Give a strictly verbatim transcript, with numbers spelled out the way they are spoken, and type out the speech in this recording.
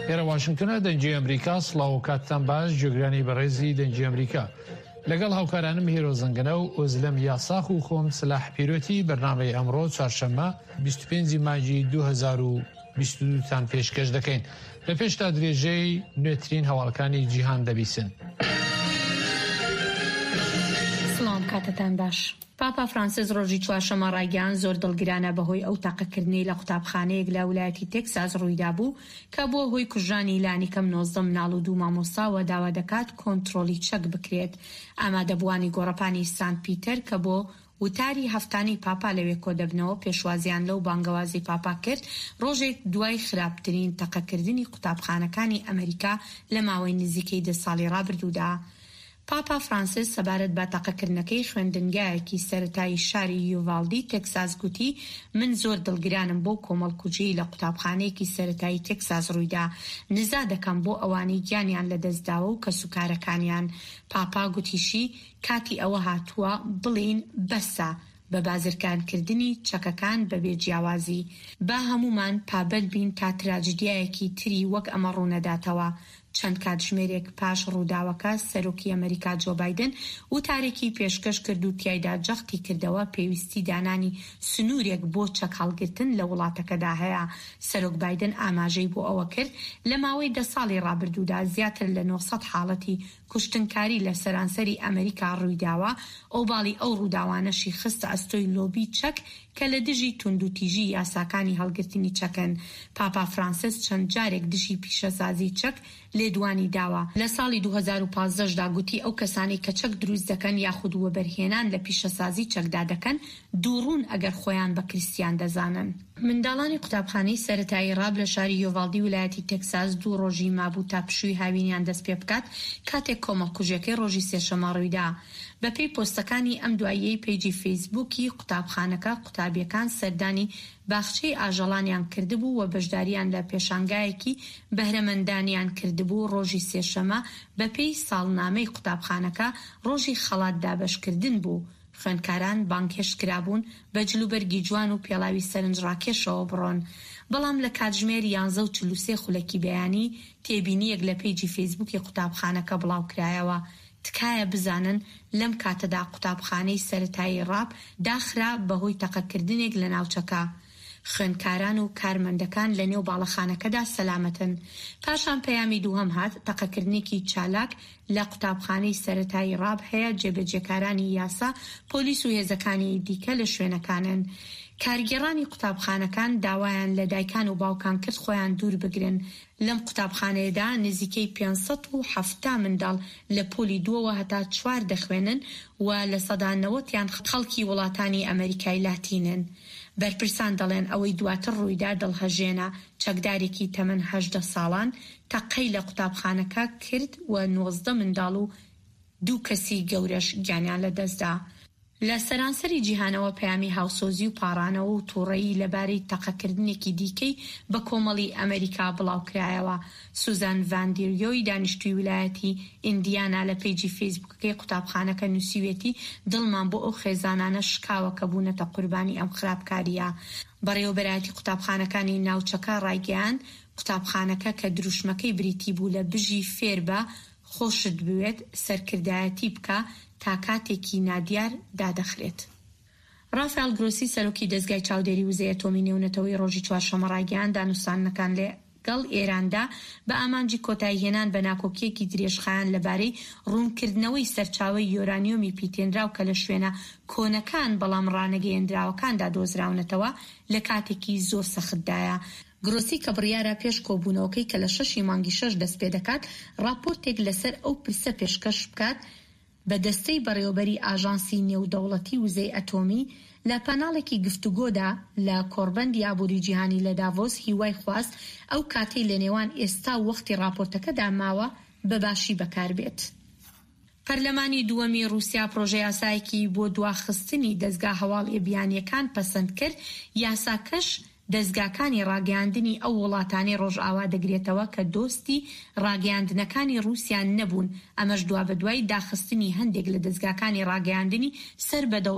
ئێرە واشنگتنە، دەنگی ئەمریکا. سڵاو و کاتتان باش جێگرانی بەڕێزی دەنگی ئەمریکا. لەگەڵ هاوکارانم هێرۆ زەنگەنە و ئۆزلەم یاساخ و خۆم سلاح پیرۆتی بەرنامەی ئەمڕۆ چوارشەممە بیست و پێنج مانگی دوو هەزار و بیست و دوو تان پێشکەش دەکەین. لە پێشتا درێژەی نوێترین هەواڵەکانی جیهان دەبیسن. سڵاو، کاتتان باش. پاپا فرانسیس ڕۆژی چوارشەممە ڕایگەیاند زۆر دڵگرانە بەهۆی ئەو تەقەکردنەی لە قوتابخانەیەک لە ولایەتی تێکساس ڕوویدابوو کە بووە هۆی کوژرانی لانیکەم نۆزدە مناڵ و دوو مامۆستا و داوا دەکات کۆنترۆڵی چەک بکرێت. ئامادەبووانی گۆڕەپانی سانت پیتەر کە بۆ وتاری هەفتانەی پاپا لەوێ کۆدەبنەوە پێشوازیان لەو بانگەوازی پاپا کرد ڕۆژێک دوای خراپترین تەقەکردنی قوتابخانەکانی ئەمریکا لە ماوەی نزیکەی دە ساڵی ڕابردوودا. پاپا فرانسیس سەبارەت بە تەقەکردنەکەی خوێندنگایەکی سەرەتایی شاری یوڤالدی تێکساس گوتی من زۆر دڵگرانم بۆ کۆمەڵکوژیی لە قوتابخانەیەکی سەرەتایی تێکساس ڕوویدا، نزا دەکەم بۆ ئەوانەی گیانیان لەدەستداوە و کەسوکارەکانیان. پاپا گوتیشی کاتی ئەوە هاتووە بڵێین بەسە بە بازرگانکردنی چەکەکان بەبێ جیاوازی. با هەموومان پابەند بین تا تراجدیایەکی تری وەک ئەمە ڕوونەداتەوە. چەند کاتژمێرێک پاش ڕووداوەکە سەرۆکی ئەمریکا جۆ بایدن وتارێکی پێشکەش کرد و تیایدا جەختی کردەوە پێویستی دانانی سنوورێک بۆ چەک هەڵگرتن لە وڵاتەکەدا هەیە. سەرۆک بایدن ئاماژەی بۆ ئەوە کرد لە ماوەی دە ساڵی ڕابردوودا زیاتر لە نۆ سەد حاڵەتی کوشتنکاری لە سەرانسەری ئەمریکا ڕوویداوە، ئۆباڵی ئەو ڕووداوانەشی خستە ئەستۆی لۆبی چەک کە لە دژی توندوتیژی یاساکانی هەڵگرتنی چەکن. پاپا فرانسیس چەند جارێک دژی پیشەسازی چەک لێدوانی داوە، لە ساڵی دوو هەزار و پازدە دا گوتی ئەو کەسانەی کە چەک دروست دەکەن یاخود وەبەرهێنان لە پیشەسازی چەکدا دەکەن دووڕوون ئەگەر خۆیان بە کریستیان دەزانن. منداڵانی قوتابخانەی سەرەتایی ڕاب لە شاری یۆڤالدی ولایەتی تێکساس دوو ڕۆژی مابوو تا پشووی هاوینیان دەست پێ بکات کاتێک کۆمەڵکوژیەکەی ڕۆژی سێشەممە ڕوویدا. بەپێی پۆستەکانی ئەم دواییەی پەیجی فەیسبووکی قوتابخانەکە، قوتابیەکان سەردانی باخچەی ئاژەڵانیان کردبوو و بەشداریان لە پێشانگایەکی بەهرەمەندانیان کردبوو. ڕۆژی سێشەممە بەپێی ساڵنامەی قوتابخانەکە ڕۆژی خەڵات دابەشکردن بوو. خوێندکاران بانگهێشت کرابوون بە جلوبەرگی جوان و پێڵاوی سەرنجڕاکێشەوە بڕۆن. بەڵام لە کاتژمێر یانزە و چل و سێ خولەکی بەیانی تێبینییەک لە پەیجی فەیسبووکی قوتابخانەکە بڵاوکرایەوە. تکایە بزانن لەم کاتەدا قوتابخانەی سەرەتایی ڕاب داخرا بەهۆی تەقەکردنێک لە ناوچەکە. خوێندکاران و کارمەندەکان لە نێو باڵەخانەکەدا سەلامەتن. پاشان پەیامی دووهەم هات، تەقەکردنێکی چالاک لە قوتابخانەی سەرەتایی ڕاب هەیە، جێبەجێکارانی یاسا، پۆلیس و هێزەکانی دیکە لە شوێنەکانن. کارگێڕانی قوتابخانەکان داوایان لە دایکان و باوکان کرد خۆیان دوور بگرن. لەم قوتابخانەیەدا نزیکەی پێنج سەد و حەفتا منداڵ لە پۆلی دووەوە هەتا چوار دەخوێنن و لە سەدا نەوەتیان خەڵکی وڵاتانی ئەمەریکای لاتینن. بەرپرسان دەڵێن ئەوەی دواتر ڕوویدا دڵهەژێنە، چەکدارێکی تەمەن هەژدە ساڵان تەقەی لە قوتابخانەکە کرد و نۆزدە منداڵ و دوو کەسی گەورەش گیانیان لەدەستدا. لە سەرانسەری جیهانەوە پەیامی هاوسۆزی و پاڕانەوە و تووڕەیی لەبارەی تەقەکردنێکی دیکەی بە کۆمەڵی ئەمریکا بڵاوکرایەوە. سوزان ڤان دیریۆی دانیشتووی ویلایەتی ئیندیانا لە پەیجی فەیسبووکەکەی قوتابخانەکە نووسیویەتی دڵمان بۆ ئەو خێزانانە شکاوە کە بوونەتە قوربانی ئەم خراپکارییە. بەڕێوەبەرایەتی قوتابخانەکانی ناوچەکە ڕایگەیاند، قوتابخانەکە کە دروشمەکەی بریتی بوو لە بژی فێربە خۆشت بوێت سەرکردایەتی بکە تا کاتێکی نادیار دادەخرێت. ڕافائێل گرۆسی سەرۆکی دەزگای چاودێری وزەی ئەتۆمی نێونەتەوەیی ڕۆژی چوارشەممە ڕایگەیاند دانوستاندنەکان لەگەڵ ئێراندا بە ئامانجی کۆتاییهێنان بە ناکۆکییەکی درێژخایەن لەبارەی ڕوونکردنەوەی سەرچاوەی یۆرانیۆمی پیتێنراو کە لە شوێنە کۆنەکان بەڵام ڕانەگەیەندراوەکاندا دۆزراونەتەوە لە کاتێکی زۆر سەختدایە. گرۆسی کە بڕیارە پێش کۆبوونەوەکەی کە لە شەشی مانگی شەش دەست پێدەکات ڕاپۆرتێک لەسەر ئەو پرسە پێشکەش بکات بە دەستەی بەڕێوەبەری ئاژانسی نێودەوڵەتی وزەی ئەتۆمی، لە پاناڵێکی گفتوگۆدا لە کۆڕبەندی ئابووری جیهانی لە داڤۆس هیوای خواست ئەو کاتەی لە نێوان ئێستا و وەختی ڕاپۆرتەکەدا ماوە بە باشی بەکاربێت. پەرلەمانی دووەمی ڕووسیا پرۆژەیاسایەکی بۆ دواخستنی دەزگا هەواڵییە بیانییەکان پەسەند کرد، یاساکەش دەزگاکانی ڕاگەیاندنی ئەو وڵاتانەی ڕۆژئاوا دەگرێتەوە کە دۆستی ڕاگەیاندنەکانی ڕووسیا نەبوون، ئەمەش دوابەدوای داخستنی هەندێک لە دەزگاکانی ڕاگەیاندنی سەر بە دەوڵەتی